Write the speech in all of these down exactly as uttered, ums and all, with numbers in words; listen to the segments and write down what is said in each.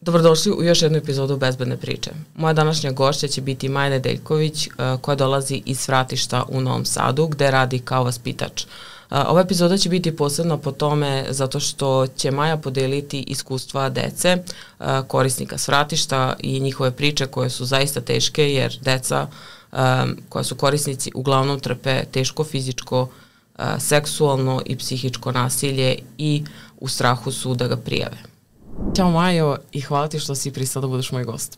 Dobrodošli u još jednu epizodu Bezbedne priče. Moja današnja gošća će biti Maja Nedeljković, koja dolazi iz Svratišta u Novom Sadu, gde radi kao vaspitač. Ova epizoda će biti posebna po tome zato što će Maja podeliti iskustva dece, korisnika Svratišta i njihove priče koje su zaista teške, jer deca koja su korisnici uglavnom trpe teško fizičko, seksualno i psihičko nasilje i u strahu su da ga prijave. Ćao Majo i hvala ti što si pristala da budeš moj gost.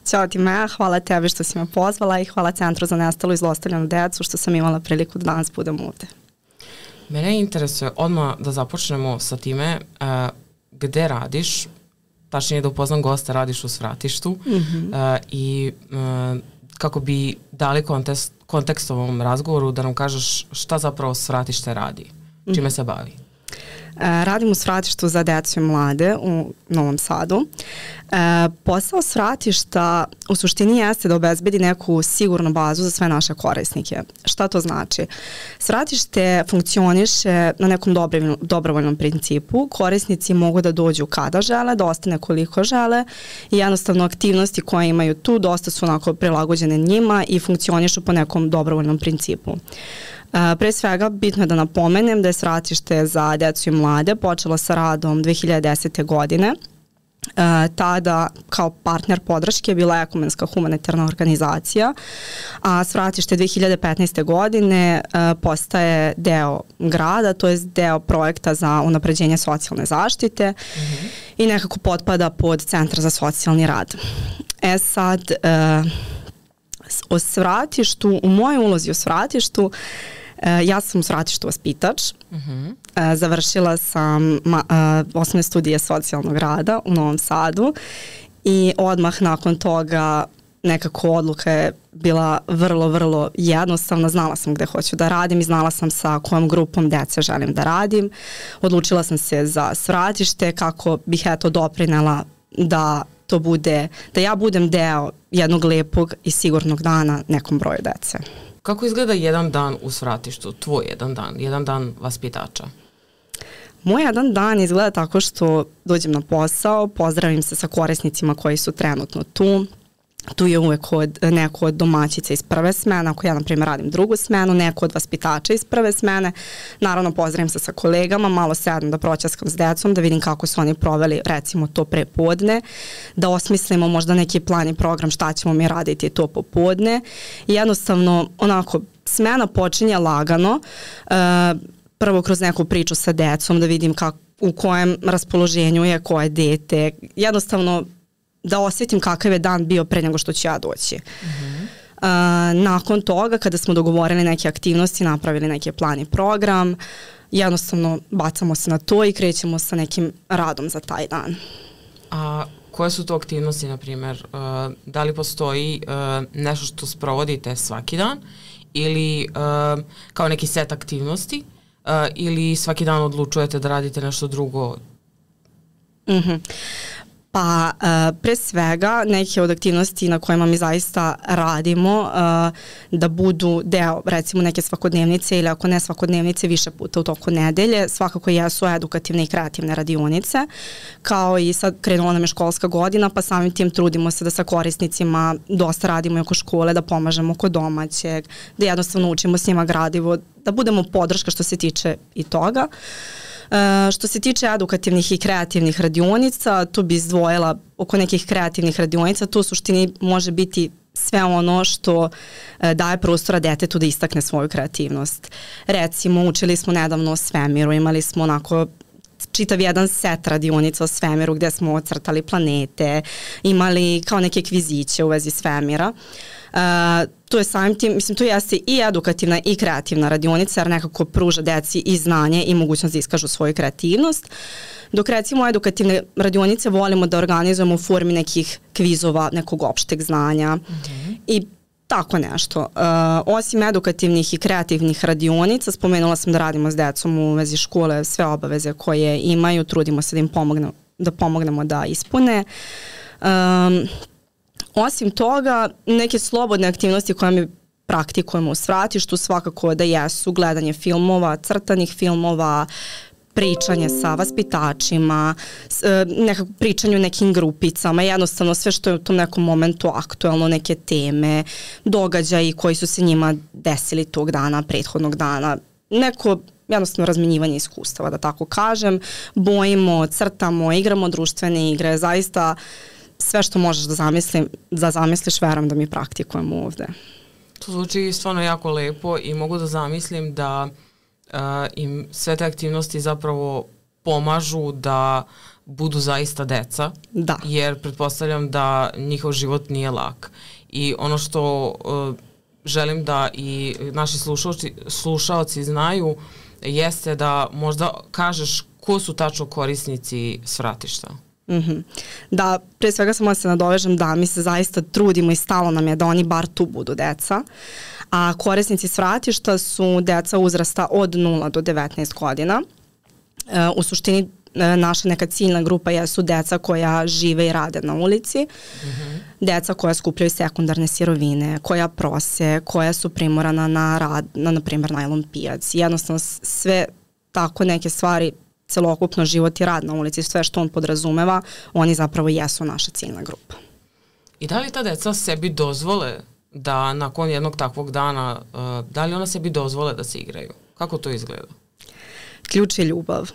Ćao ti Maja, hvala tebi što si me pozvala i hvala Centru za nestalu i zlostavljanu decu što sam imala priliku da danas budem ovde. Mene interesuje odmah da započnemo sa time uh, gde radiš, tačnije da upoznam gosta, radiš u Svratištu mm-hmm. uh, i uh, kako bi dali kontekst, kontekst ovom razgovoru da nam kažeš šta zapravo Svratište radi, čime mm-hmm. se bavi. Radim u Svratištu za decu i mlade u Novom Sadu. E, posao Svratišta u suštini jeste da obezbedi neku sigurnu bazu za sve naše korisnike. Šta to znači? Svratište funkcioniše na nekom dobrovoljnom, dobrovoljnom principu. Korisnici mogu da dođu kada žele, da ostane koliko žele i jednostavno aktivnosti koje imaju tu dosta su onako prilagođene njima i funkcionišu po nekom dobrovoljnom principu. Uh, pre svega bitno je da napomenem da je Svratište za decu i mlade počelo sa radom dve hiljade desete. godine. Uh, tada kao partner podrške je bila ekumenska humanitarna organizacija, a Svratište dve hiljade petnaeste. godine uh, postaje deo grada, to je deo projekta za unapređenje socijalne zaštite mm-hmm. i nekako potpada pod Centar za socijalni rad. E sad, uh, o Svratištu, u mojoj ulozi u Svratištu, ja sam u Svratištu vaspitač. Uh-huh. Završila sam ma, osnovne studije socijalnog rada u Novom Sadu i odmah nakon toga nekako odluka je bila vrlo, vrlo jednostavna. Znala sam gde hoću da radim i znala sam sa kojom grupom dece želim da radim. Odlučila sam se za Svratište kako bih eto doprinela da to bude, da ja budem deo jednog lepog i sigurnog dana nekom broju dece. Kako izgleda jedan dan u Svratištu, tvoj jedan dan, jedan dan vaspitača? Moj jedan dan izgleda tako što dođem na posao, pozdravim se sa korisnicima koji su trenutno tu. Tu je uvek od, neko od domaćica iz prve smene, ako ja na primjer radim drugu smenu, neko od vaspitača iz prve smene. Naravno pozdravim se sa kolegama, malo sedam da proćaskam s decom, da vidim kako su oni proveli recimo to prepodne, da osmislimo možda neki plan i program šta ćemo mi raditi to popodne. I jednostavno onako smena počinje lagano, uh, prvo kroz neku priču sa decom da vidim kako, u kojem raspoloženju je koje dete, jednostavno da osjetim kakav je dan bio pre nego što ću ja doći. Mm-hmm. Uh, nakon toga, kada smo dogovorili neke aktivnosti, napravili neki plan i program, jednostavno bacamo se na to i krećemo sa nekim radom za taj dan. A koje su to aktivnosti, na primjer? Uh, da li postoji uh, nešto što sprovodite svaki dan ili uh, kao neki set aktivnosti uh, ili svaki dan odlučujete da radite nešto drugo? Mhm. Pa uh, pre svega neke od aktivnosti na kojima mi zaista radimo uh, da budu deo recimo neke svakodnevnice ili ako ne svakodnevnice više puta u toku nedelje, svakako jesu edukativne i kreativne radionice, kao i sad krenula nam je školska godina pa samim tim trudimo se da sa korisnicima dosta radimo oko škole, da pomažemo kod domaćeg, da jednostavno učimo s njima gradivo, da budemo podrška što se tiče i toga. Uh, što se tiče edukativnih i kreativnih radionica, tu bi izdvojila oko nekih kreativnih radionica, to u suštini može biti sve ono što uh, daje prostora detetu da istakne svoju kreativnost. Recimo, učili smo nedavno o svemiru, imali smo onako čitav jedan set radionica o svemiru gde smo ocrtali planete, imali kao neke kviziće u vezi svemira. Uh, to je samim tim, mislim, to jeste i edukativna i kreativna radionica jer nekako pruža deci i znanje i mogućnost da iskažu svoju kreativnost. Dok recimo edukativne radionice volimo da organizujemo u formi nekih kvizova, nekog opšteg znanja mm-hmm. i tako nešto. Uh, osim edukativnih i kreativnih radionica, spomenula sam da radimo s decom u vezi škole, sve obaveze koje imaju, trudimo se da im pomognemo da, pomognemo da ispune. Um, Osim toga, neke slobodne aktivnosti koje mi praktikujemo u Svratištu svakako da jesu gledanje filmova, crtanih filmova, pričanje sa vaspitačima, nekako pričanje u nekim grupicama, jednostavno sve što je u tom nekom momentu aktuelno, neke teme, događaji koji su se njima desili tog dana, prethodnog dana, neko jednostavno razmenjivanje iskustava, da tako kažem, bojimo, crtamo, igramo društvene igre, zaista sve što možeš da, zamislim, da zamisliš, verujem da mi praktikujemo ovde. To zvuči stvarno jako lepo i mogu da zamislim da uh, im sve te aktivnosti zapravo pomažu da budu zaista deca, da. Jer pretpostavljam da njihov život nije lak. I ono što uh, želim da i naši slušaoci, slušaoci znaju jeste da možda kažeš ko su tačno korisnici svratišta. Mm-hmm. Da, pre svega samo da se nadovežem da mi se zaista trudimo i stalo nam je da oni bar tu budu deca, a korisnici svratišta su deca uzrasta od nula do devetnaest godina. E, u suštini e, naša neka ciljna grupa jesu deca koja žive i rade na ulici, mm-hmm. deca koja skupljaju sekundarne sirovine, koja prose, koja su primorana na rad, na, na primjer, najlon pijac. Jednostavno sve tako neke stvari, celokupno život i rad na ulici, sve što on podrazumeva, oni zapravo jesu naša ciljna grupa. I da li ta deca sebi dozvole da nakon jednog takvog dana, uh, da li ona sebi dozvole da se igraju? Kako to izgleda? Ključ je ljubav.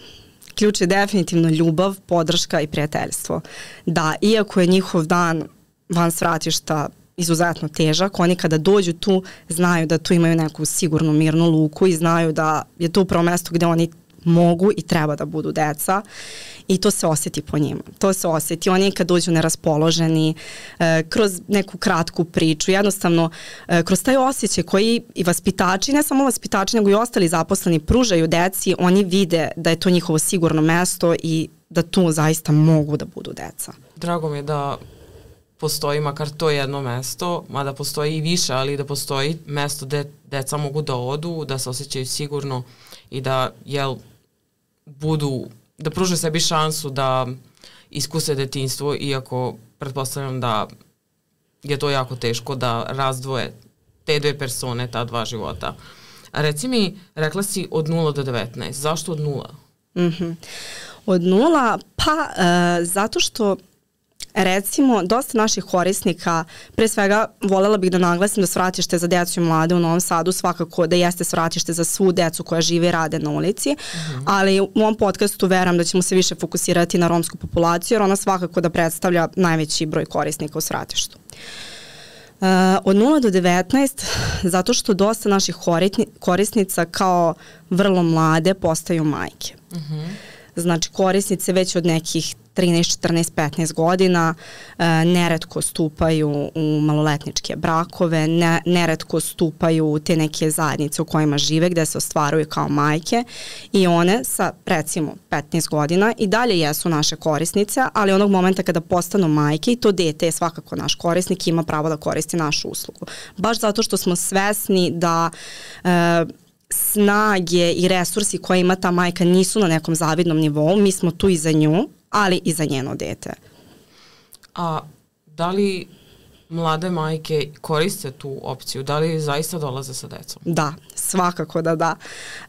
Ključ je definitivno ljubav, podrška i prijateljstvo. Da, iako je njihov dan van svratišta izuzetno težak, oni kada dođu tu znaju da tu imaju neku sigurnu mirnu luku i znaju da je to upravo mesto gde oni mogu i treba da budu deca i to se osjeti po njima. To se osjeti. Oni kad dođu neraspoloženi, e, kroz neku kratku priču, jednostavno e, kroz taj osjećaj koji i vaspitači, ne samo vaspitači, nego i ostali zaposleni pružaju deci, oni vide da je to njihovo sigurno mesto i da tu zaista mogu da budu deca. Drago mi je da postoji makar to jedno mesto, mada postoji i više, ali da postoji mesto gde deca mogu da odu, da se osjećaju sigurno i da, jel, budu, da pruže sebi šansu da iskuse detinjstvo, iako pretpostavljam da je to jako teško da razdvoje te dve persone, ta dva života. A reci mi, rekla si od nula do devetnaest. Zašto od nula? Mm-hmm. Od nula, pa e, zato što recimo, dosta naših korisnika, pre svega voljela bih da naglasim da svratište za decu i mlade u Novom Sadu svakako da jeste svratište za svu decu koja žive i rade na ulici, uh-huh. ali u ovom podcastu verujem da ćemo se više fokusirati na romsku populaciju, jer ona svakako da predstavlja najveći broj korisnika u svratištu. Uh, od nula do devetnaest, zato što dosta naših korisnica kao vrlo mlade postaju majke. Uh-huh. Znači korisnice već od nekih trinaest, četrnaest, petnaest godina e, neretko stupaju u maloletničke brakove, ne, neretko stupaju u te neke zajednice u kojima žive gde se ostvaruju kao majke i one sa recimo petnaest godina i dalje jesu naše korisnice, ali onog momenta kada postanu majke i to dete je svakako naš korisnik i ima pravo da koristi našu uslugu. Baš zato što smo svesni da e, snage i resursi koje ima ta majka nisu na nekom zavidnom nivou, mi smo tu i za nju, ali i za njeno dete. A da li mlade majke koriste tu opciju? Da li zaista dolaze sa decom? Da, svakako da da.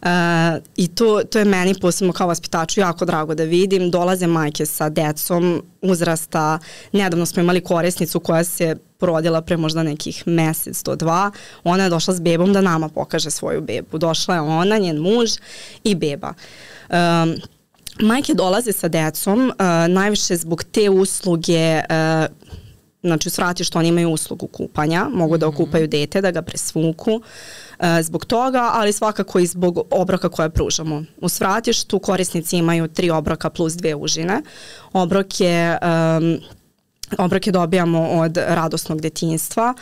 E, I to, to je meni posebno kao vaspitaču jako drago da vidim. Dolaze majke sa decom uzrasta. Nedavno smo imali korisnicu koja se porodila pre možda nekih mesec do dva. Ona je došla s bebom da nama pokaže svoju bebu. Došla je ona, njen muž i beba. E, majke dolaze sa decom e, najviše zbog te usluge. E, Znači u svratištu oni imaju uslugu kupanja, mogu da okupaju dete, da ga presvuku e, zbog toga, ali svakako i zbog obroka koje pružamo. U svratištu korisnici imaju tri obroka plus dve užine. Obrok je, um, obroke dobijamo od radosnog detinjstva.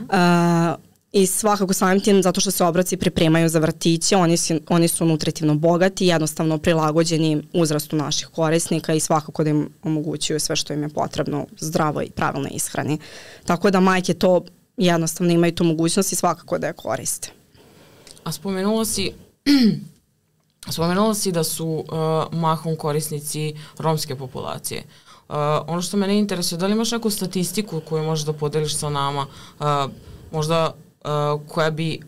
Uh, I svakako samim tim, zato što se obroci pripremaju za vrtiće, oni su, oni su nutritivno bogati, jednostavno prilagođeni uzrastu naših korisnika i svakako da im omogućuju sve što im je potrebno zdravoj i pravilnoj ishrani. Tako da majke to jednostavno imaju tu mogućnost i svakako da je koriste. A spomenula si, spomenula si da su uh, mahom korisnici romske populacije. Uh, ono što mene interesuje, da li imaš neku statistiku koju možeš da podeliš sa nama, uh, možda Uh, koja bi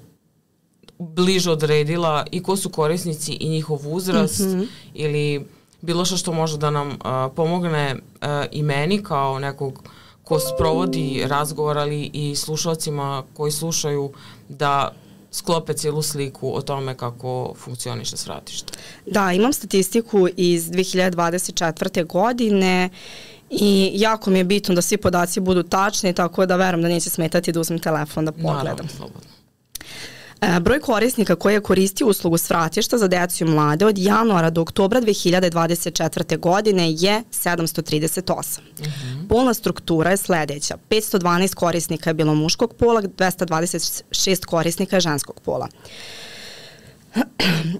bliže odredila i ko su korisnici i njihov uzrast mm-hmm. ili bilo što što može da nam uh, pomogne uh, i meni kao nekog ko sprovodi razgovor, ali i slušalcima koji slušaju da sklope cijelu sliku o tome kako funkcioniše svratište. Da, imam statistiku iz dve hiljade dvadeset četvrte. godine i jako mi je bitno da svi podaci budu tačni, tako da verujem da neće smetati da uzmem telefon da pogledam. Naravno, slobodno. E, broj korisnika koji je koristio uslugu svratišta za decu i mlade od januara do oktobra dve hiljade dvadeset četvrte. godine je sedamsto trideset osam. Mm-hmm. Polna struktura je sledeća. petsto dvanaest korisnika je bilo muškog pola, dvesta dvadeset šest korisnika je ženskog pola.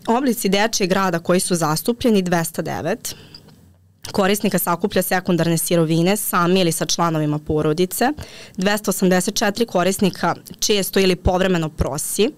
Oblici dečijeg rada koji su zastupljeni dvesta devet. Korisnika sakuplja sekundarne sirovine sami ili sa članovima porodice. dvesta osamdeset četiri korisnika često ili povremeno prosi.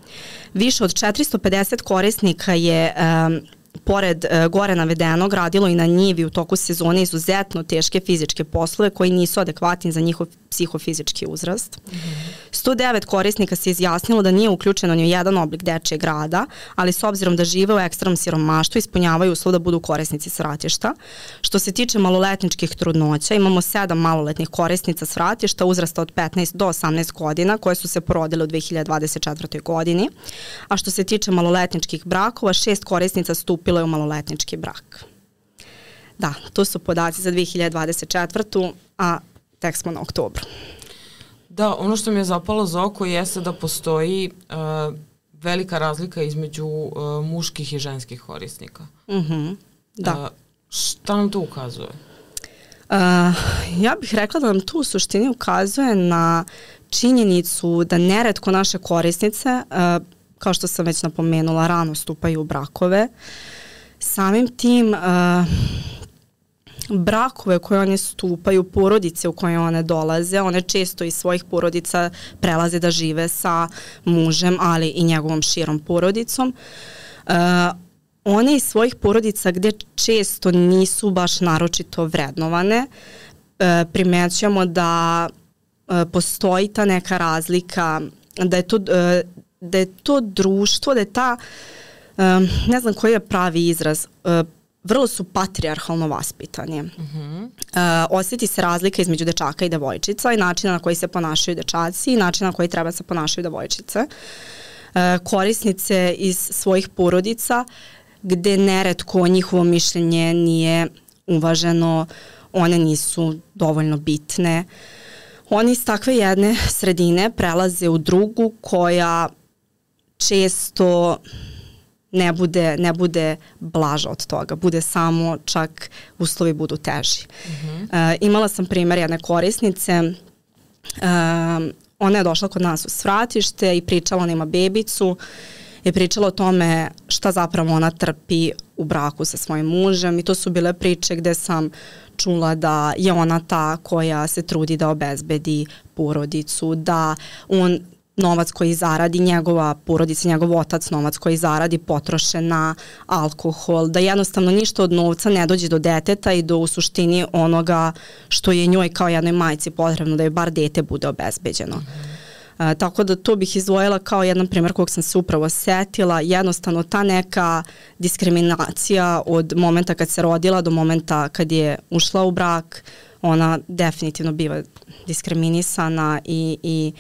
Više od četiristo pedeset korisnika je um, pored uh, gore navedenog radilo i na njivi u toku sezone izuzetno teške fizičke poslove koji nisu adekvatni za njihov psihofizički uzrast. Mm-hmm. sto devet korisnika se izjasnilo da nije uključeno ni u jedan oblik dečijeg rada, ali s obzirom da žive u ekstremnom siromaštvu ispunjavaju uslov da budu korisnici svratišta. Što se tiče maloletničkih trudnoća, imamo sedam maloletnih korisnica svratišta uzrasta od petnaest do osamnaest godina koje su se porodile u dve hiljade dvadeset četvrtoj. godini, a što se tiče maloletničkih brakova, šest korisnica stupilo je u maloletnički brak. Da, to su podaci za dve hiljade dvadeset četvrtu. a tek smo na oktobru. Da, ono što mi je zapalo za oko jeste da postoji uh, velika razlika između uh, muških i ženskih korisnika. Mm-hmm, da. Uh, šta nam to ukazuje? Uh, ja bih rekla da nam to u suštini ukazuje na činjenicu da neretko naše korisnice, uh, kao što sam već napomenula, rano stupaju u brakove. Samim tim uh, brakove koje one stupaju, porodice u koje one dolaze, one često iz svojih porodica prelaze da žive sa mužem, ali i njegovom širom porodicom. Uh, one iz svojih porodica gde često nisu baš naročito vrednovane, uh, primećujemo da uh, postoji ta neka razlika, da je to, uh, da je to društvo, da je ta, uh, ne znam koji je pravi izraz, uh, vrlo su patrijarhalno vaspitani. Mm-hmm. Uh, osjeti se razlika između dečaka i devojčica i načina na koji se ponašaju dečaci i načina na koji treba se ponašaju devojčice. Uh, korisnice iz svojih porodica gde neretko njihovo mišljenje nije uvaženo, one nisu dovoljno bitne. Oni iz takve jedne sredine prelaze u drugu koja često ne bude, ne bude blaža od toga, bude samo čak uslovi budu teži. Mm-hmm. Uh, imala sam primjer jedne korisnice, uh, ona je došla kod nas u svratište i pričala, ona ima bebicu i pričala o tome šta zapravo ona trpi u braku sa svojim mužem i to su bile priče gde sam čula da je ona ta koja se trudi da obezbedi porodicu, da on novac koji zaradi, njegova porodica, njegov otac novac koji zaradi potroše na alkohol, da jednostavno ništa od novca ne dođe do deteta i do u suštini onoga što je njoj kao jednoj majci potrebno da je bar dete bude obezbeđeno. Mm-hmm. Uh, tako da to bih izdvojila kao jedan primjer kog sam se upravo setila, jednostavno ta neka diskriminacija od momenta kad se rodila do momenta kad je ušla u brak, ona definitivno biva diskriminisana i, i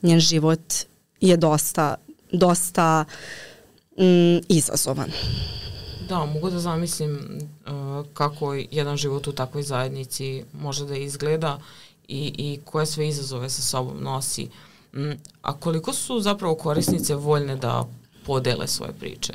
njen život je dosta, dosta mm, izazovan. Da, mogu da zamislim uh, kako jedan život u takvoj zajednici može da izgleda i, i koje sve izazove sa sobom nosi. Mm, a koliko su zapravo korisnice voljne da podele svoje priče?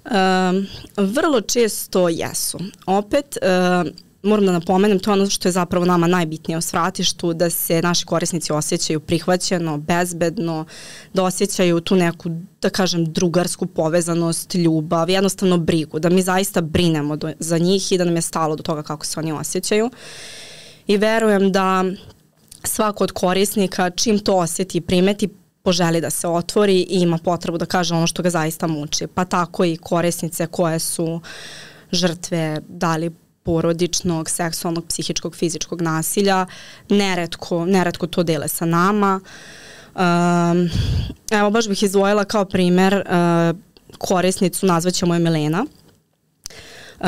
Um, vrlo često jesu. Opet, uh, moram da napomenem, to je ono što je zapravo nama najbitnije u svratištu, da se naši korisnici osjećaju prihvaćeno, bezbedno, da osjećaju tu neku, da kažem, drugarsku povezanost, ljubav, jednostavno brigu, da mi zaista brinemo do, za njih i da nam je stalo do toga kako se oni osjećaju. I verujem da svako od korisnika čim to osjeti i primeti, poželi da se otvori i ima potrebu da kaže ono što ga zaista muči. Pa tako i korisnice koje su žrtve, da li porodičnog, seksualnog, psihičkog, fizičkog nasilja, neretko, neretko to dele sa nama. Um, evo, baš bih izdvojila kao primer uh, korisnicu, nazvaćemo je Milena. Uh,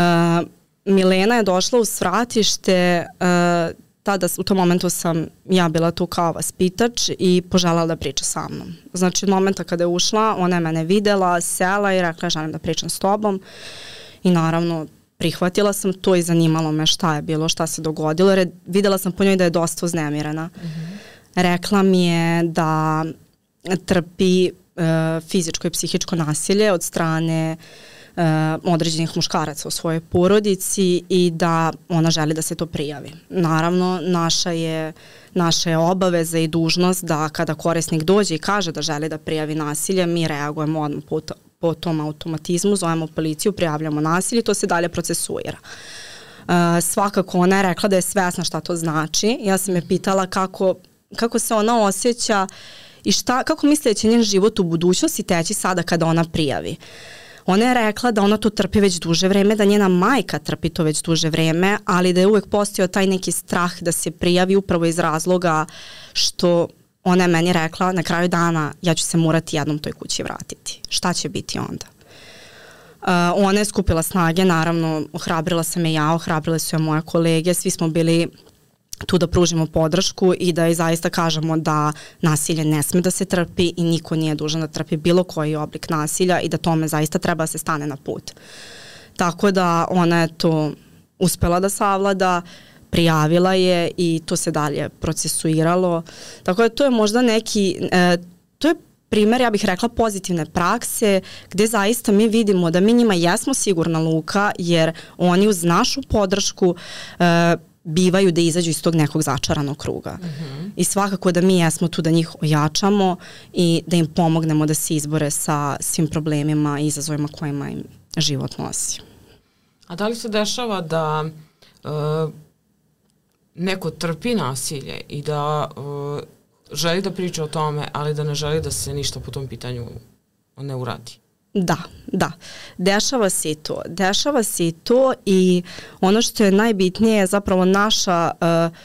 Milena je došla u svratište, uh, tada u tom momentu sam ja bila tu kao vaspitač i poželjela da priča sa mnom. Znači od momenta kada je ušla, ona je mene videla, sela i rekla želim da pričam s tobom i naravno prihvatila sam to i zanimalo me šta je bilo, šta se dogodilo jer je, videla sam po njoj da je dosta uznemirena. Mm-hmm. Rekla mi je da trpi uh, fizičko i psihičko nasilje od strane uh, određenih muškaraca u svojoj porodici i da ona želi da se to prijavi. Naravno, naša je, naša je obaveza i dužnost da kada korisnik dođe i kaže da želi da prijavi nasilje, mi reagujemo odmah po, po tom automatizmu, zovemo policiju, prijavljamo nasilje, to se dalje procesuira. Uh, svakako ona je rekla da je svesna šta to znači. Ja sam je pitala kako, kako se ona osjeća i šta, kako misli da će njen život u budućnosti teći sada kada ona prijavi. Ona je rekla da ona to trpi već duže vreme, da njena majka trpi to već duže vreme, ali da je uvek postojao taj neki strah da se prijavi upravo iz razloga što ona je meni rekla na kraju dana ja ću se morati jednom toj kući vratiti. Šta će biti onda? Uh, ona je skupila snage, naravno ohrabrila sam je ja, ohrabrile su je moje kolege, svi smo bili tu da pružimo podršku i da i zaista kažemo da nasilje ne sme da se trpi i niko nije dužan da trpi bilo koji oblik nasilja i da tome zaista treba da se stane na put. Tako da ona je to uspela da savlada, prijavila je i to se dalje procesuiralo. Tako da to je možda neki, e, to je primer, ja bih rekla, pozitivne prakse gde zaista mi vidimo da mi njima jesmo sigurna luka jer oni uz našu podršku e, bivaju da izađu iz tog nekog začaranog kruga. Mm-hmm. I svakako da mi jesmo tu da njih ojačamo i da im pomognemo da se izbore sa svim problemima i izazovima kojima im život nosi. A da li se dešava da uh, neko trpi nasilje i da uh, želi da priča o tome, ali da ne želi da se ništa po tom pitanju ne uradi? Da, da. Dešava se i to. Dešava se i to i ono što je najbitnije je zapravo naša uh,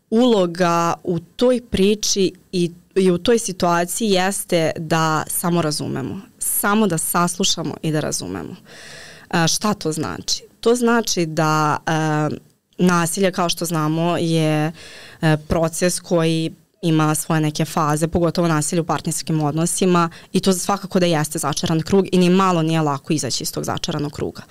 uloga u toj priči i, i u toj situaciji jeste da samo razumemo. Samo da saslušamo i da razumemo. Uh, šta to znači? To znači da uh, nasilje, kao što znamo, je uh, proces koji ima svoje neke faze, pogotovo nasilje u partnerskim odnosima i to svakako da jeste začaran krug i ni malo nije lako izaći iz tog začaranog kruga.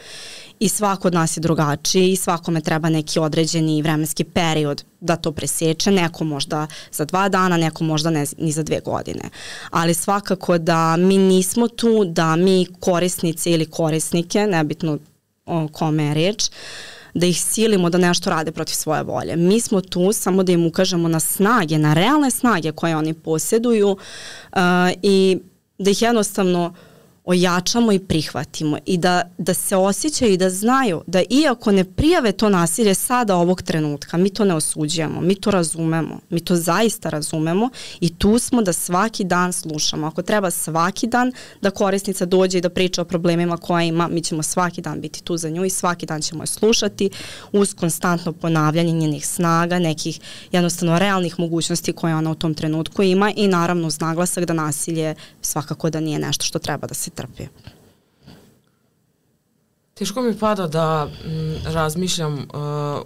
I svako od nas je drugačiji i svakome treba neki određeni vremenski period da to preseče, neko možda za dva dana, neko možda ne, ni za dve godine. Ali svakako da mi nismo tu, da mi korisnice ili korisnike, nebitno o kome je reč, da ih silimo da nešto rade protiv svoje volje. Mi smo tu samo da im ukažemo na snage, na realne snage koje oni posjeduju uh, i da ih jednostavno ojačamo i prihvatimo i da, da se osjećaju i da znaju da iako ne prijave to nasilje sada ovog trenutka, mi to ne osuđujemo, mi to razumemo, mi to zaista razumemo i tu smo da svaki dan slušamo. Ako treba svaki dan da korisnica dođe i da priča o problemima koje ima, mi ćemo svaki dan biti tu za nju i svaki dan ćemo je slušati uz konstantno ponavljanje njenih snaga, nekih jednostavno realnih mogućnosti koje ona u tom trenutku ima i naravno uz naglasak da nasilje svakako da nije nešto što treba da se trpi. Teško mi pada da m, razmišljam uh,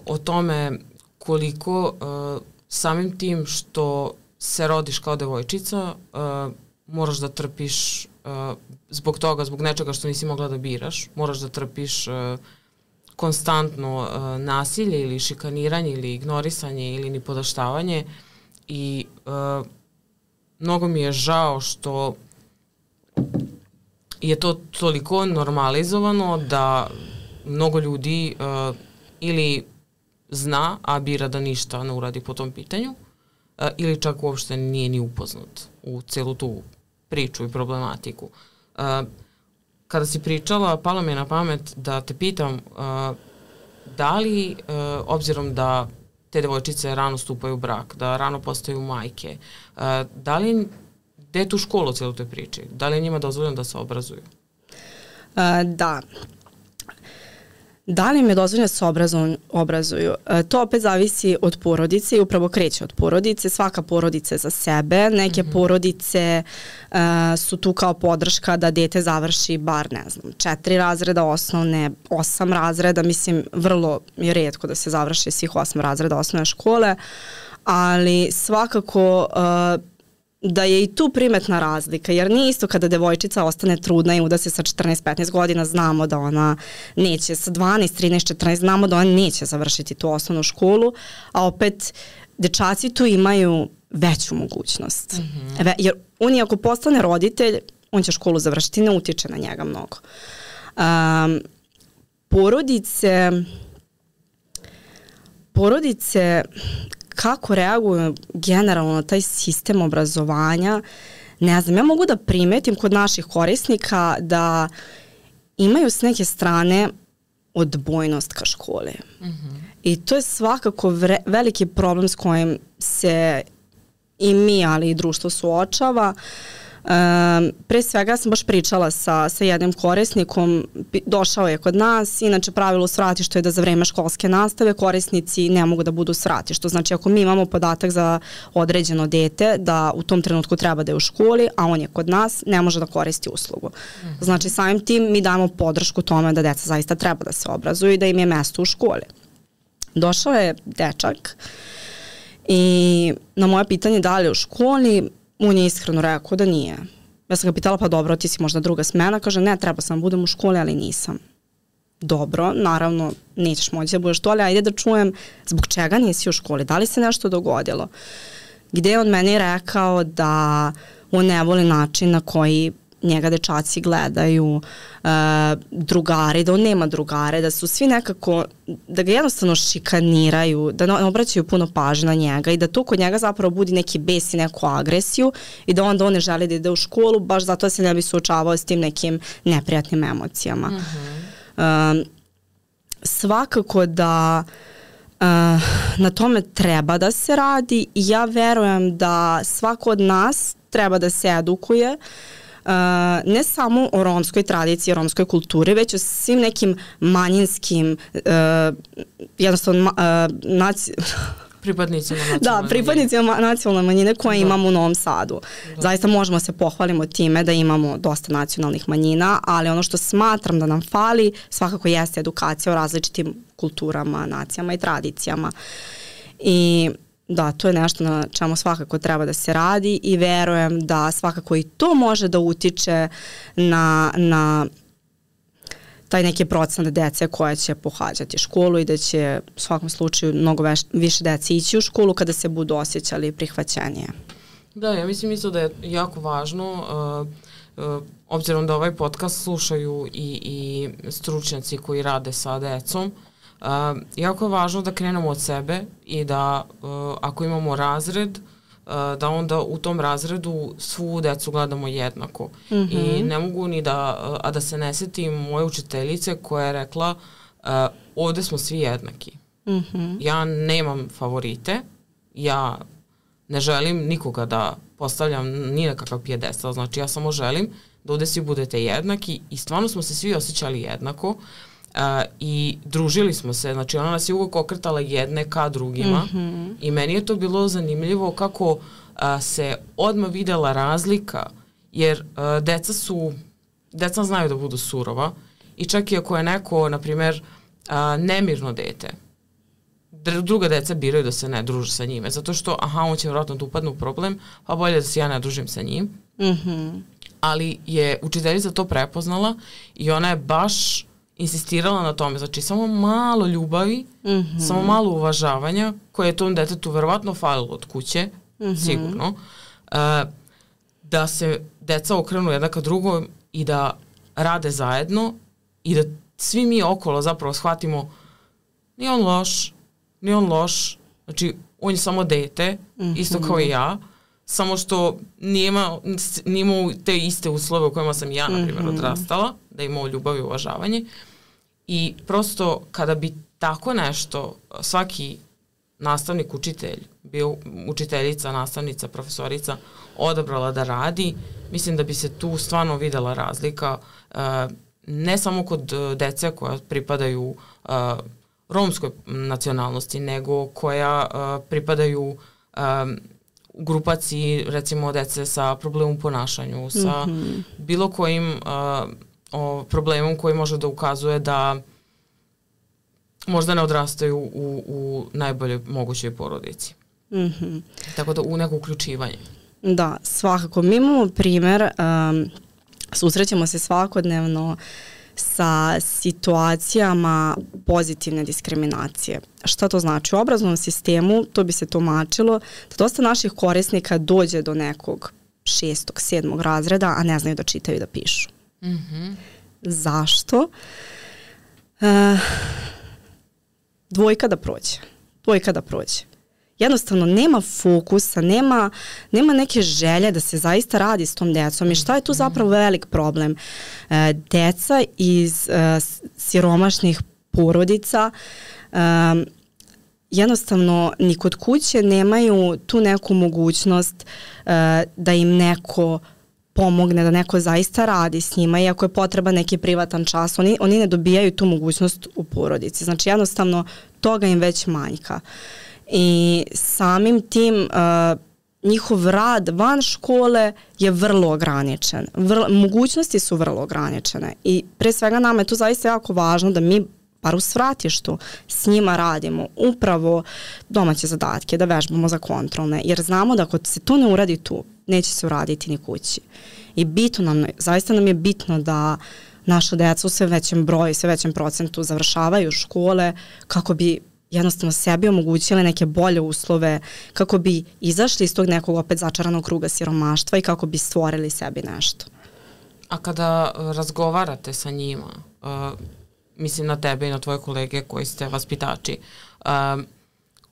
o tome koliko uh, samim tim što se rodiš kao devojčica uh, moraš da trpiš uh, zbog toga, zbog nečega što nisi mogla da biraš, moraš da trpiš uh, konstantno uh, nasilje ili šikaniranje ili ignorisanje ili nipodaštavanje i uh, mnogo mi je žao što je to toliko normalizovano da mnogo ljudi uh, ili zna, a bira da ništa ne uradi po tom pitanju, uh, ili čak uopšte nije ni upoznat u celu tu priču i problematiku. Uh, kada si pričala, palo mi je na pamet da te pitam uh, da li, uh, obzirom da te devojčice rano stupaju u brak, da rano postaju majke, uh, da li gde je tu škola u cijelu toj priči? Da li je njima dozvoljeno da se obrazuju? Uh, da. Da li im je dozvoljeno da se obrazuju? obrazuju? E, to opet zavisi od porodice i upravo kreće od porodice. Svaka porodica je za sebe. Neke mm-hmm. porodice e, su tu kao podrška da dete završi bar, ne znam, četiri razreda osnovne, osam razreda. Mislim, vrlo je retko da se završi svih osam razreda osnovne škole, ali svakako e, da je i tu primetna razlika, jer nije isto kada devojčica ostane trudna i uda se sa četrnaest petnaest godina, znamo da ona neće, sa dvanaest, trinaest, četrnaest znamo da ona neće završiti tu osnovnu školu, a opet dečaci tu imaju veću mogućnost. Mm-hmm. Ve, jer on je ako postane roditelj, on će školu završiti, ne utiče na njega mnogo. Um, porodice porodice kako reaguju generalno na taj sistem obrazovanja, ne znam, ja mogu da primetim kod naših korisnika da imaju s neke strane odbojnost ka školi. Mm-hmm. I to je svakako vre, veliki problem s kojim se i mi, ali i društvo suočava. Um, pre svega sam baš pričala sa, sa jednim korisnikom, došao je kod nas, inače pravilo u svratištu je da za vreme školske nastave korisnici ne mogu da budu u svratištu, znači ako mi imamo podatak za određeno dete da u tom trenutku treba da je u školi, a on je kod nas, ne može da koristi uslugu. Mm-hmm. Znači samim tim mi damo podršku tome da deca zaista treba da se obrazuju i da im je mesto u školi. Došao je dečak i na moje pitanje da li je u školi, on je iskreno rekao da nije. Ja sam ga pitala, pa dobro, ti si možda druga smena. Kaže, ne, treba sam budem u školi, ali nisam. Dobro, naravno, nećeš moći da budeš to, ali ajde da čujem zbog čega nisi u školi, da li se nešto dogodilo. Gde je on meni rekao da on ne voli način na koji njega dečaci gledaju, uh, drugari, da on nema drugare, da su svi nekako, da ga jednostavno šikaniraju, da ne obraćaju puno pažnje na njega i da to kod njega zapravo budi neki bes i neku agresiju i da onda on ne želi da ide u školu baš zato da se ne bi suočavao s tim nekim neprijatnim emocijama. Mm-hmm. Uh, svakako da Uh, na tome treba da se radi i ja verujem da svako od nas treba da se edukuje Uh, ne samo o romskoj tradiciji, romskoj kulturi, već o svim nekim manjinskim uh, jednostavno uh, naci... pripadnicima nacionalne da, pripadnicima nacionalne manjine koje da. imamo u Novom Sadu. Da. Zaista možemo se pohvalimo time da imamo dosta nacionalnih manjina, ali ono što smatram da nam fali svakako jeste edukacija o različitim kulturama, nacijama i tradicijama. I da, to je nešto na čemu svakako treba da se radi i verujem da svakako i to može da utiče na, na taj neki procenat dece koja će pohađati školu i da će u svakom slučaju mnogo veš, više dece ići u školu kada se budu osjećali prihvaćenije. Da, ja mislim isto da je jako važno, uh, uh, obzirom da ovaj podcast slušaju i, i stručnjaci koji rade sa decom, Uh, jako je važno da krenemo od sebe i da uh, ako imamo razred, uh, da onda u tom razredu svu decu gledamo jednako. Mm-hmm. I ne mogu ni da, uh, a da se ne setim moje učiteljice koja je rekla uh, ovde smo svi jednaki. Mm-hmm. Ja nemam favorite, ja ne želim nikoga da postavljam ni na kakav pijedestal, znači ja samo želim da ovde svi budete jednaki i stvarno smo se svi osjećali jednako. Uh, i družili smo se, znači ona nas je uvijek okretala jedne ka drugima mm-hmm. i meni je to bilo zanimljivo kako uh, se odmah videla razlika, jer uh, deca su, deca znaju da budu surova i čak i ako je neko, na primjer, uh, nemirno dete, druga deca biraju da se ne druže sa njime, zato što, aha, on će vjerojatno da upadne u problem, pa bolje da se ja ne družim sa njim. Mm-hmm. Ali je učiteljica to prepoznala i ona je baš insistirala na tome, znači samo malo ljubavi, mm-hmm. samo malo uvažavanja, koje je tom detetu verovatno falilo od kuće, mm-hmm. sigurno, uh, da se deca okrenu jedna ka drugom i da rade zajedno i da svi mi okolo zapravo shvatimo nije on loš, nije on loš, znači on je samo dete, mm-hmm. isto kao i ja, samo što nije imao, nije imao te iste uslove u kojima sam ja, na primjer, mm-hmm. odrastala, da je imao ljubav i uvažavanje. I prosto kada bi tako nešto svaki nastavnik, učitelj, bio učiteljica, nastavnica, profesorica odabrala da radi, mislim da bi se tu stvarno videla razlika uh, ne samo kod dece koja pripadaju uh, romskoj nacionalnosti, nego koja uh, pripadaju um, grupaciji, recimo dece sa problemom u ponašanju, sa mm-hmm. bilo kojim uh, o, problemom koji može da ukazuje da možda ne odrastaju u, u najboljoj mogućoj porodici. Mm-hmm. Tako da u neko uključivanje. Da, svakako. Mi imamo primer, um, susrećemo se svakodnevno sa situacijama pozitivne diskriminacije. Šta to znači? U obrazovnom sistemu to bi se tumačilo da dosta naših korisnika dođe do nekog šestog, sedmog razreda, a ne znaju da čitaju i da pišu. Mm-hmm. Zašto? Uh, dvojka da prođe. Dvojka da prođe. Jednostavno nema fokusa, nema, nema neke želje da se zaista radi s tom decom. I šta je tu zapravo velik problem? E, deca iz e, siromašnih porodica e, jednostavno ni kod kuće nemaju tu neku mogućnost e, da im neko pomogne, da neko zaista radi s njima, iako je potreba neki privatan čas. Oni, oni ne dobijaju tu mogućnost u porodici. Znači jednostavno toga im već manjka. I samim tim uh, njihov rad van škole je vrlo ograničen. Vrlo, mogućnosti su vrlo ograničene i pre svega nama je to zaista jako važno da mi bar u svratištu s njima radimo upravo domaće zadatke, da vežbamo za kontrolne, jer znamo da ako se to ne uradi tu, neće se uraditi ni kući. I bitno nam, zaista nam je bitno da naša deca u sve većem broju, sve većem procentu završavaju škole kako bi jednostavno sebi omogućile neke bolje uslove, kako bi izašli iz tog nekog opet začaranog kruga siromaštva i kako bi stvorili sebi nešto. A kada razgovarate sa njima, uh, mislim na tebe i na tvoje kolege koji ste vaspitači, uh,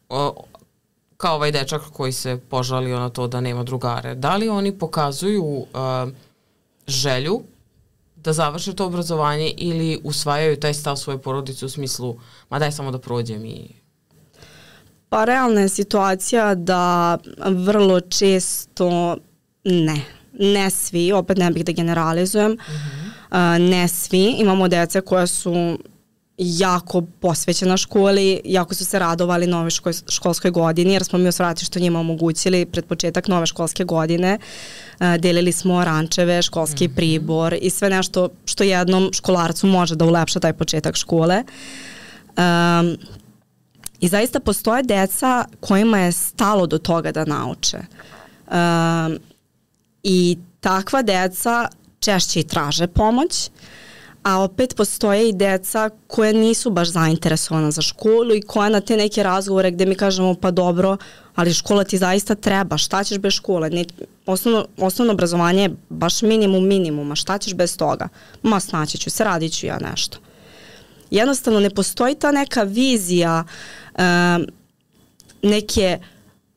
uh, kao ovaj dečak koji se požalio na to da nema drugare, da li oni pokazuju uh, želju da završe to obrazovanje ili usvajaju taj stav svoje porodice u smislu ma daj samo da prođem i... Pa realna je situacija da vrlo često ne. Ne svi, opet ne bih da generalizujem, mm-hmm. uh, ne svi. Imamo dece koja su jako posvećena školi, jako su se radovali nove ško, školskoj godini, jer smo mi u svratištu njima omogućili pred početak nove školske godine. Uh, delili smo rančeve, školski mm-hmm. pribor i sve nešto što jednom školarcu može da ulepša taj početak škole. Um, I zaista postoje deca kojima je stalo do toga da nauče. Um, I takva deca češće i traže pomoć, a opet postoje i deca koja nisu baš zainteresovana za školu i koja na te neke razgovore gde mi kažemo pa dobro, ali škola ti zaista treba, šta ćeš bez škole? Ne, osnovno, osnovno obrazovanje je baš minimum minimuma, šta ćeš bez toga? Ma snaći ću se, radit ću ja nešto. Jednostavno ne postoji ta neka vizija um, neke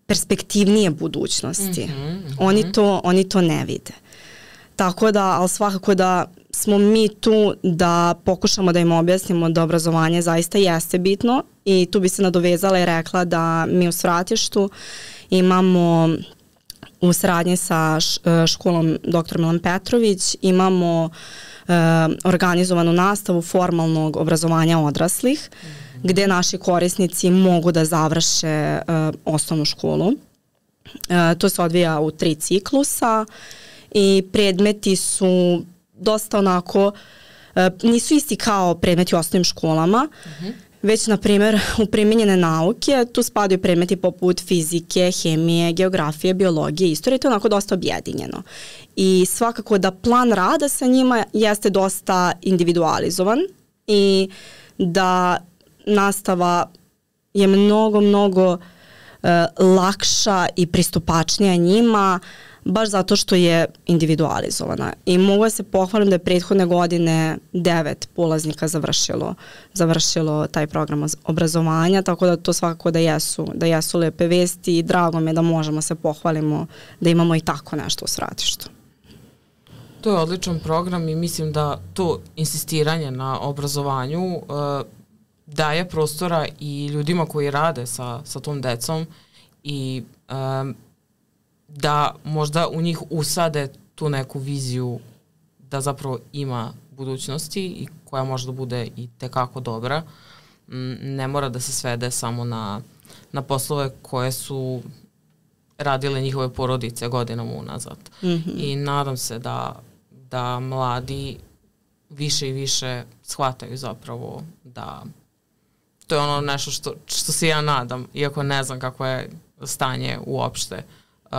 perspektivnije budućnosti. Mm-hmm, mm-hmm. Oni to, oni to ne vide. Tako da, ali svakako da smo mi tu da pokušamo da im objasnimo da obrazovanje zaista jeste bitno i tu bi se nadovezala i rekla da mi u Svratištu imamo u saradnji sa školom doktor Milan Petrović imamo uh, organizovanu nastavu formalnog obrazovanja odraslih, mm-hmm. gde naši korisnici mogu da završe uh, osnovnu školu. Uh, to se odvija u tri ciklusa i predmeti su dosta onako, uh, nisu isti kao predmeti u osnovnim školama, mm-hmm. već, na primjer, u primjenjene nauke tu spadaju predmeti poput fizike, hemije, geografije, biologije, istorije, to je onako dosta objedinjeno. I svakako da plan rada sa njima jeste dosta individualizovan i da nastava je mnogo, mnogo uh, lakša i pristupačnija njima, baš zato što je individualizovana. I mogu da se pohvalim da je prethodne godine devet polaznika završilo, završilo taj program obrazovanja, tako da to svakako da jesu, da jesu lepe vesti i drago mi je da možemo se pohvalimo da imamo i tako nešto u Svratištu. To je odličan program i mislim da to insistiranje na obrazovanju uh, daje prostora i ljudima koji rade sa, sa tom decom i um, da možda u njih usade tu neku viziju da zapravo ima budućnosti i koja može da bude i tekako dobra. Ne mora da se svede samo na, na poslove koje su radile njihove porodice godinama unazad. Mm-hmm. I nadam se da, da mladi više i više shvataju zapravo da to je ono nešto što, što se ja nadam, iako ne znam kako je stanje uopšte uh,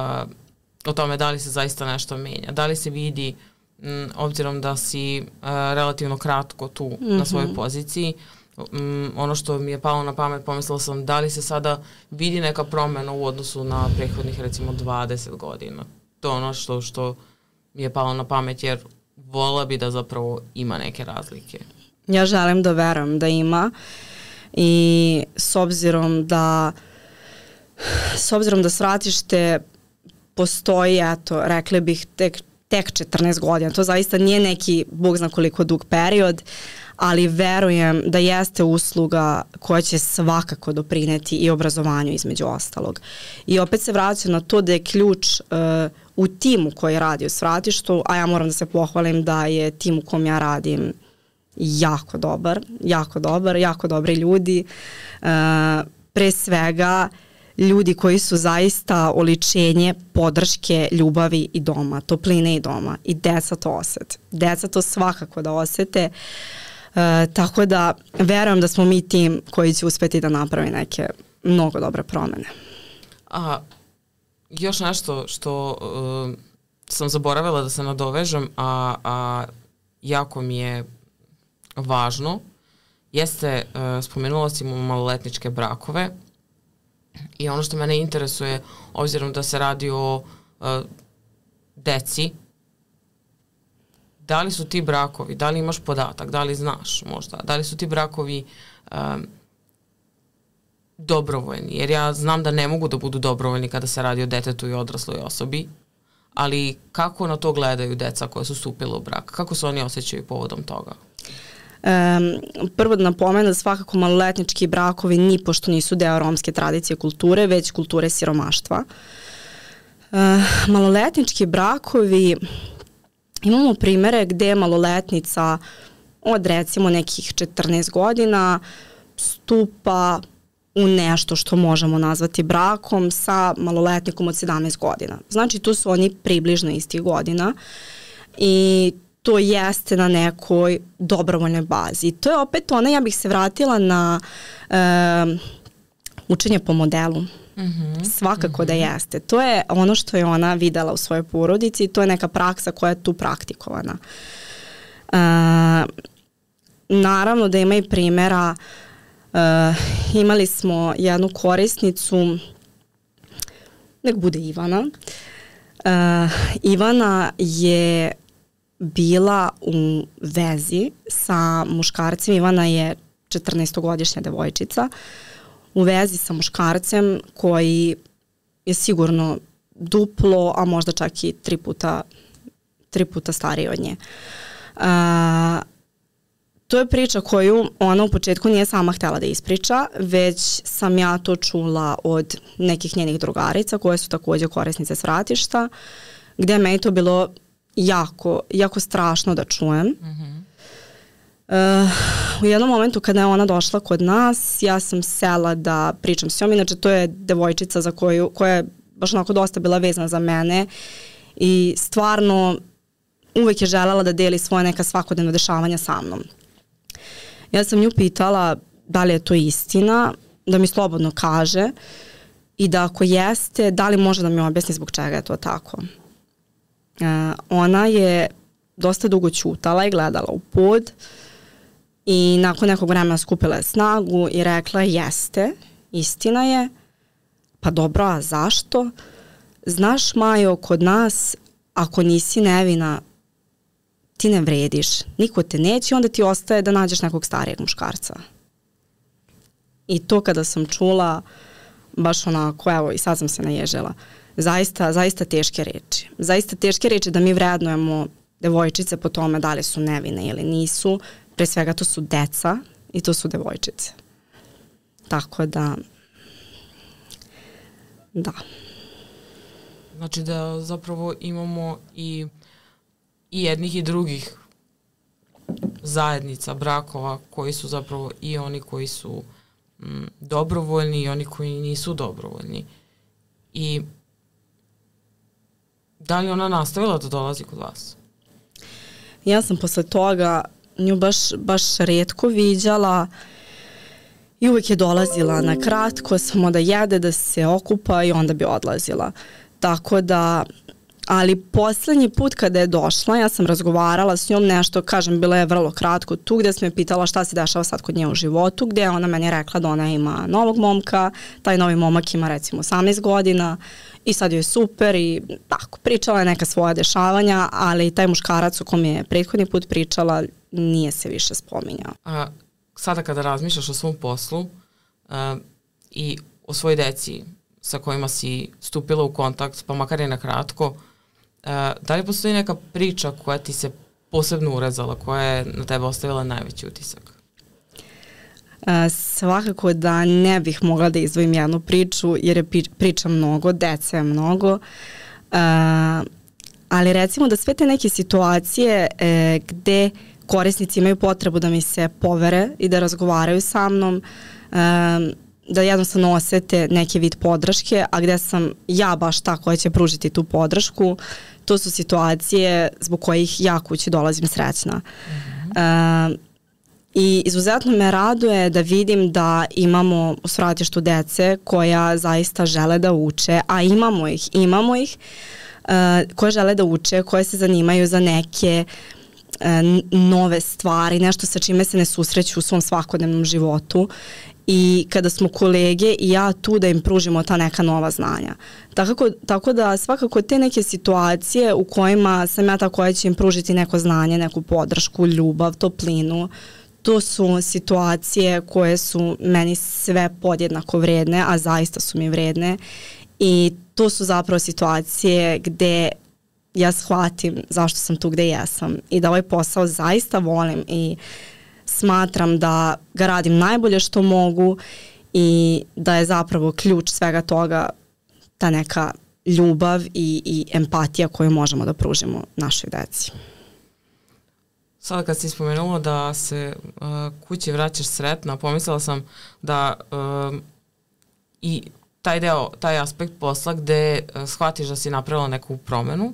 o tome da li se zaista nešto menja, da li se vidi m, obzirom da si uh, relativno kratko tu mm-hmm. na svojoj poziciji. Um, ono što mi je palo na pamet, pomislila sam da li se sada vidi neka promena u odnosu na prethodnih recimo dvadeset godina. To je ono što, što mi je palo na pamet, jer vola bi da zapravo ima neke razlike. Ja želim da verujem da ima i s obzirom da s obzirom da Svratište postoji, eto, rekli bih tek, tek četrnaest godina, to zaista nije neki bog zna koliko dug period, ali verujem da jeste usluga koja će svakako doprineti i obrazovanju između ostalog. I opet se vraćam na to da je ključ uh, u timu koji radi u Svratištu, a ja moram da se pohvalim da je tim u kom ja radim jako dobar, jako dobar, jako dobri ljudi. Uh, pre svega ljudi koji su zaista oličenje podrške, ljubavi i doma, topline i doma. I deca to osete. Deca to svakako da osete. Uh, tako da verujem da smo mi tim koji će uspeti da napravi neke mnogo dobre promene. A još nešto što uh, sam zaboravila da se nadovežem, a, a jako mi je važno, jeste, uh, spomenula si mu maloletničke brakove i ono što mene interesuje, obzirom da se radi o uh, deci, da li su ti brakovi, da li imaš podatak, da li znaš možda, da li su ti brakovi um, dobrovoljni, jer ja znam da ne mogu da budu dobrovoljni kada se radi o detetu i odrasloj osobi, ali kako na to gledaju deca koja su stupila u brak? Kako se oni osjećaju povodom toga? Um, prvo da napomenu da svakako maloletnički brakovi ni pošto nisu deo romske tradicije kulture, već kulture siromaštva. Uh, maloletnički brakovi, imamo primere gde maloletnica od recimo nekih četrnaest godina stupa u nešto što možemo nazvati brakom sa maloletnikom od sedamnaest godina. Znači tu su oni približno istih godina i to jeste na nekoj dobrovoljnoj bazi. I to je opet ona, ja bih se vratila na e, učenje po modelu. Mm-hmm. Svakako mm-hmm. da jeste. To je ono što je ona videla u svojoj porodici i to je neka praksa koja je tu praktikovana. E, naravno da ima i primjera. Uh, imali smo jednu korisnicu, nek bude Ivana. Uh, Ivana je bila u vezi sa muškarcem. Ivana je četrnaestogodišnja devojčica u vezi sa muškarcem koji je sigurno duplo, a možda čak i tri puta, tri puta stariji od nje. Uh, To je priča koju ona u početku nije sama htjela da ispriča, već sam ja to čula od nekih njenih drugarica koje su također korisnice Svratišta, gdje je meni to bilo jako, jako strašno da čujem. Mm-hmm. Uh, u jednom momentu kada je ona došla kod nas, ja sam sela da pričam s njom, inače to je devojčica za koju, koja je baš onako dosta bila vezana za mene i stvarno uvek je želela da deli svoje neka svakodnevna dešavanja sa mnom. Ja sam nju pitala da li je to istina, da mi slobodno kaže i da ako jeste, da li može da mi objasni zbog čega je to tako. Uh, ona je dosta dugo ćutala i gledala u pod i nakon nekog vremena skupila je snagu i rekla jeste, istina je, pa dobro, a zašto? Znaš, Majo, kod nas ako nisi nevina, ti ne vrediš, niko te neće, onda ti ostaje da nađeš nekog starijeg muškarca. I to kada sam čula, baš onako, evo i sad sam se naježila, zaista, zaista teške reči. Zaista teške reči da mi vrednujemo devojčice po tome da li su nevine ili nisu. Pre svega to su deca i to su devojčice. Tako da, da. Znači da zapravo imamo i i jednih i drugih zajednica brakova koji su zapravo i oni koji su m, dobrovoljni i oni koji nisu dobrovoljni. I da li ona nastavila da dolazi kod vas? Ja sam posle toga nju baš, baš retko viđala i uvijek je dolazila na kratko, samo da jede, da se okupa i onda bi odlazila. Tako da, ali poslednji put kada je došla, ja sam razgovarala s njom nešto, kažem, bila je vrlo kratko tu, gde sam je pitala šta se dešava sad kod nje u životu, gde ona meni rekla da ona ima novog momka, taj novi momak ima recimo osamnaest godina i sad joj je super i tako, pričala je neka svoja dešavanja, ali taj muškarac u kom je prethodni put pričala nije se više spominjao. A sada kada razmišljaš o svom poslu uh, i o svojoj deci sa kojima si stupila u kontakt, pa makar je na kratko, uh, da li postoji neka priča koja ti se posebno urezala, koja je na tebe ostavila najveći utisak? Uh, svakako da ne bih mogla da izdvojim jednu priču, jer je priča mnogo, dece je mnogo, uh, ali recimo da sve te neke situacije e, gde korisnici imaju potrebu da mi se povere i da razgovaraju sa mnom, um, da jednostavno osete neki vid podrške, a gde sam ja baš ta koja će pružiti tu podršku, to su situacije zbog kojih ja kući dolazim srećna. Mm-hmm. Um, I izuzetno me raduje da vidim da imamo u svratištu dece koja zaista žele da uče, a imamo ih, imamo ih, uh, koje žele da uče, koje se zanimaju za neke nove stvari, nešto sa čime se ne susreću u svom svakodnevnom životu i kada smo kolege i ja tu da im pružimo ta neka nova znanja. Tako, tako da svakako te neke situacije u kojima sam ja ta koja će im pružiti neko znanje, neku podršku, ljubav, toplinu, to su situacije koje su meni sve podjednako vredne, a zaista su mi vredne i to su zapravo situacije gde ja shvatim zašto sam tu gde jesam i da ovaj posao zaista volim i smatram da ga radim najbolje što mogu i da je zapravo ključ svega toga ta neka ljubav i, i empatija koju možemo da pružimo našoj deci. Sada kad si spomenula da se uh, kući vraćaš sretna, pomislila sam da uh, i taj deo, taj aspekt posla gde uh, shvatiš da si napravila neku promenu,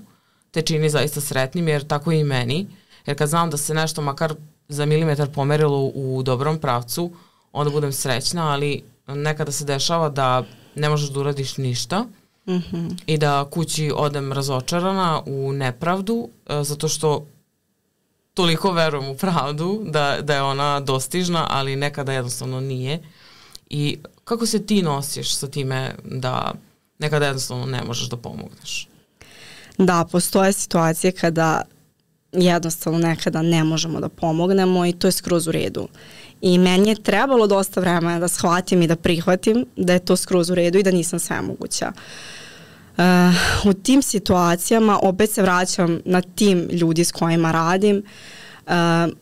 te čini zaista sretnim, jer tako i meni. Jer kad znam da se nešto makar za milimetar pomerilo u dobrom pravcu, onda budem srećna, ali nekada se dešava da ne možeš da uradiš ništa mm-hmm. i da kući odem razočarana u nepravdu, zato što toliko verujem u pravdu da, da je ona dostižna, ali nekada jednostavno nije. I kako se ti nosiš sa time da nekada jednostavno ne možeš da pomogneš? Da, postoje situacije kada jednostavno nekada ne možemo da pomognemo i to je skroz u redu. I meni je trebalo dosta vremena da shvatim i da prihvatim da je to skroz u redu i da nisam svemoguća. Uh, u tim situacijama opet se vraćam na tim ljudi s kojima radim. Uh,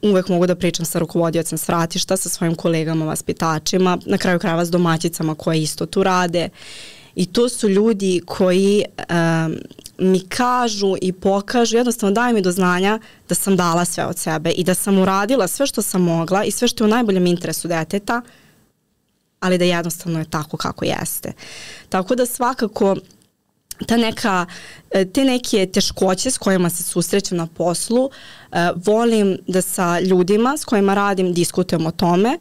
uvek mogu da pričam sa rukovodiocem svratišta, sa svojim kolegama, vaspitačima, na kraju krajeva s domaćicama koje isto tu rade. I to su ljudi koji um, mi kažu i pokažu, jednostavno daju mi do znanja da sam dala sve od sebe i da sam uradila sve što sam mogla i sve što je u najboljem interesu deteta, ali da jednostavno je tako kako jeste. Tako da svakako ta neka, te neke teškoće s kojima se susrećem na poslu, uh, volim da sa ljudima s kojima radim diskutujem o tome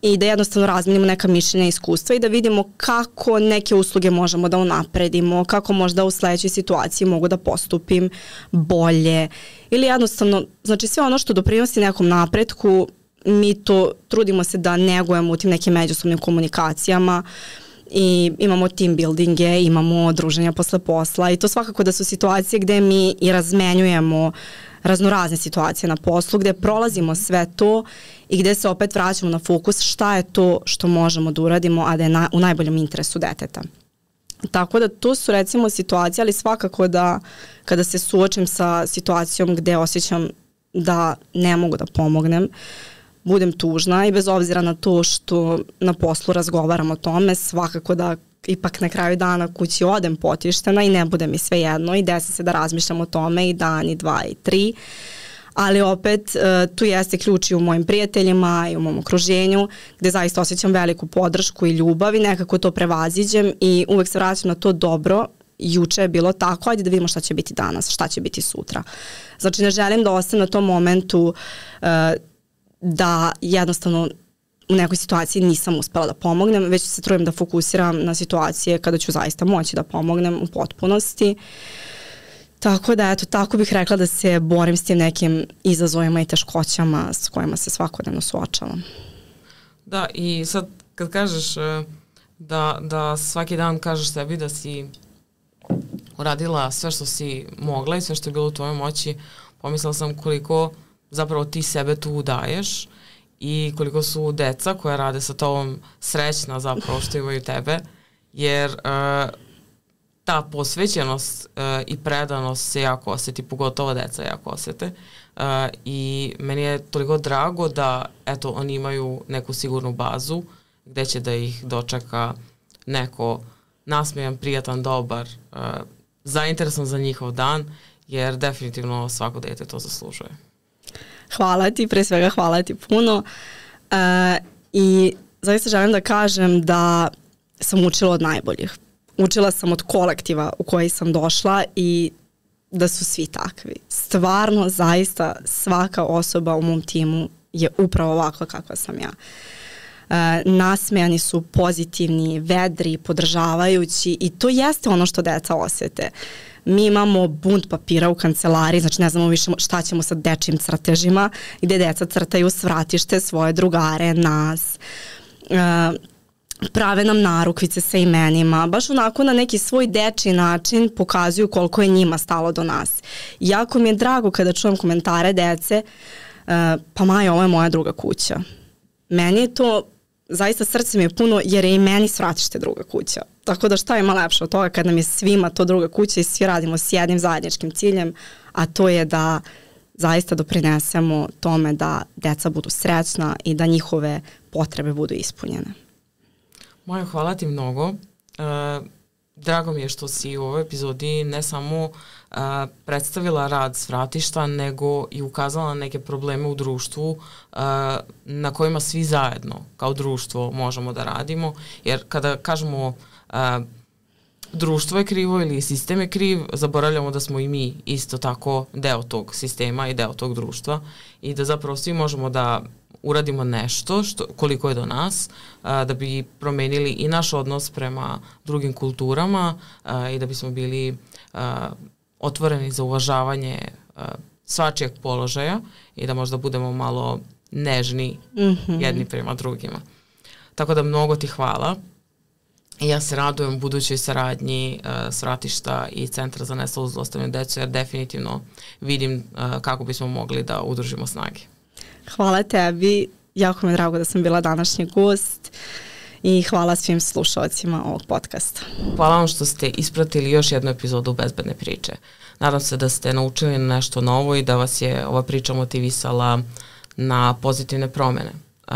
i da jednostavno razmenimo neka mišljenja i iskustva i da vidimo kako neke usluge možemo da unapredimo, kako možda u sledećoj situaciji mogu da postupim bolje ili jednostavno, znači sve ono što doprinosi nekom napretku, mi to trudimo se da negujemo u tim nekim međusobnim komunikacijama i imamo team buildinge, imamo druženja posle posla i to svakako da su situacije gde mi i razmenjujemo raznorazne situacije na poslu, gde prolazimo sve to i gde se opet vraćamo na fokus šta je to što možemo da uradimo, a da je na, u najboljem interesu deteta. Tako da to su recimo situacije, ali svakako da kada se suočim sa situacijom gde osjećam da ne mogu da pomognem, budem tužna i bez obzira na to što na poslu razgovaram o tome, svakako da ipak na kraju dana kući odem potištena i ne bude mi sve jedno i desi se da razmišljam o tome i dan i dva i tri, ali opet uh, tu jeste ključ i u mojim prijateljima i u mom okruženju gde zaista osjećam veliku podršku i ljubav i nekako to prevaziđem i uvek se vraćam na to dobro. Juče je bilo tako, ajde da vidimo šta će biti danas, šta će biti sutra. Znači ne želim da ostanem na tom momentu uh, da jednostavno u nekoj situaciji nisam uspela da pomognem, već se trudim da fokusiram na situacije kada ću zaista moći da pomognem u potpunosti. Tako da, eto, tako bih rekla da se borim s tim nekim izazovima i teškoćama s kojima se svakodnevno suočavam. Da, i sad kad kažeš da, da svaki dan kažeš sebi da si uradila sve što si mogla i sve što je bilo u tvojoj moći, pomislila sam koliko zapravo ti sebe tu daješ i koliko su deca koja rade sa tobom srećna zapravo što imaju tebe, jer uh, ta posvećenost uh, i predanost se jako osjeti, pogotovo deca jako osjete. Uh, I meni je toliko drago da eto, oni imaju neku sigurnu bazu gde će da ih dočeka neko nasmejan, prijatan, dobar, uh, zainteresovan za njihov dan, jer definitivno svako dete to zaslužuje. Hvala ti, pre svega hvala ti puno. Uh, I zaista želim da kažem da sam učila od najboljih. Učila sam od kolektiva u koji sam došla i da su svi takvi. Stvarno, zaista, svaka osoba u mom timu je upravo ovakva kakva sam ja. E, nasmejani su, pozitivni, vedri, podržavajući i to jeste ono što deca osjete. Mi imamo bunt papira u kancelariji, znači ne znamo više šta ćemo sa dečjim crtežima, gde deca crtaju svratište, svoje drugare, nas. E, prave nam narukvice sa imenima, baš onako na neki svoj dečji način pokazuju koliko je njima stalo do nas. Jako mi je drago kada čujem komentare dece, uh, pa Maja, ovo je moja druga kuća. Meni je to, zaista srce mi je puno jer je i meni svratište druga kuća. Tako da šta ima lepše od toga kad nam je svima to druga kuća i svi radimo s jednim zajedničkim ciljem, a to je da zaista doprinesemo tome da deca budu srećna i da njihove potrebe budu ispunjene. Maja, hvala ti mnogo. E, drago mi je što si u ovoj epizodi ne samo e, predstavila rad Svratišta, nego i ukazala na neke probleme u društvu e, na kojima svi zajedno kao društvo možemo da radimo. Jer kada kažemo e, društvo je krivo ili sistem je kriv, zaboravljamo da smo i mi isto tako deo tog sistema i deo tog društva i da zapravo svi možemo da uradimo nešto što, koliko je do nas, a, da bi promenili i naš odnos prema drugim kulturama a, i da bismo bili a, otvoreni za uvažavanje a, svačijeg položaja i da možda budemo malo nežni mm-hmm. jedni prema drugima. Tako da mnogo ti hvala. I ja se radujem budućoj saradnji uh, Svratišta i Centra za nestalu zlostavljanu decu, jer definitivno vidim uh, kako bismo mogli da udružimo snage. Hvala tebi, jako mi je drago da sam bila današnji gost i hvala svim slušalcima ovog podcasta. Hvala vam što ste ispratili još jednu epizodu Bezbedne priče. Nadam se da ste naučili nešto novo i da vas je ova priča motivisala na pozitivne promene. Uh,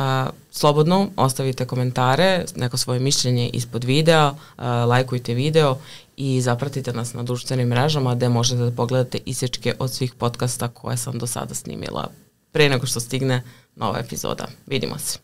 slobodno ostavite komentare, neko svoje mišljenje ispod videa, uh, lajkujte video i zapratite nas na društvenim mrežama gde možete da pogledate isječke od svih podcasta koje sam do sada snimila pre nego što stigne nova epizoda. Vidimo se.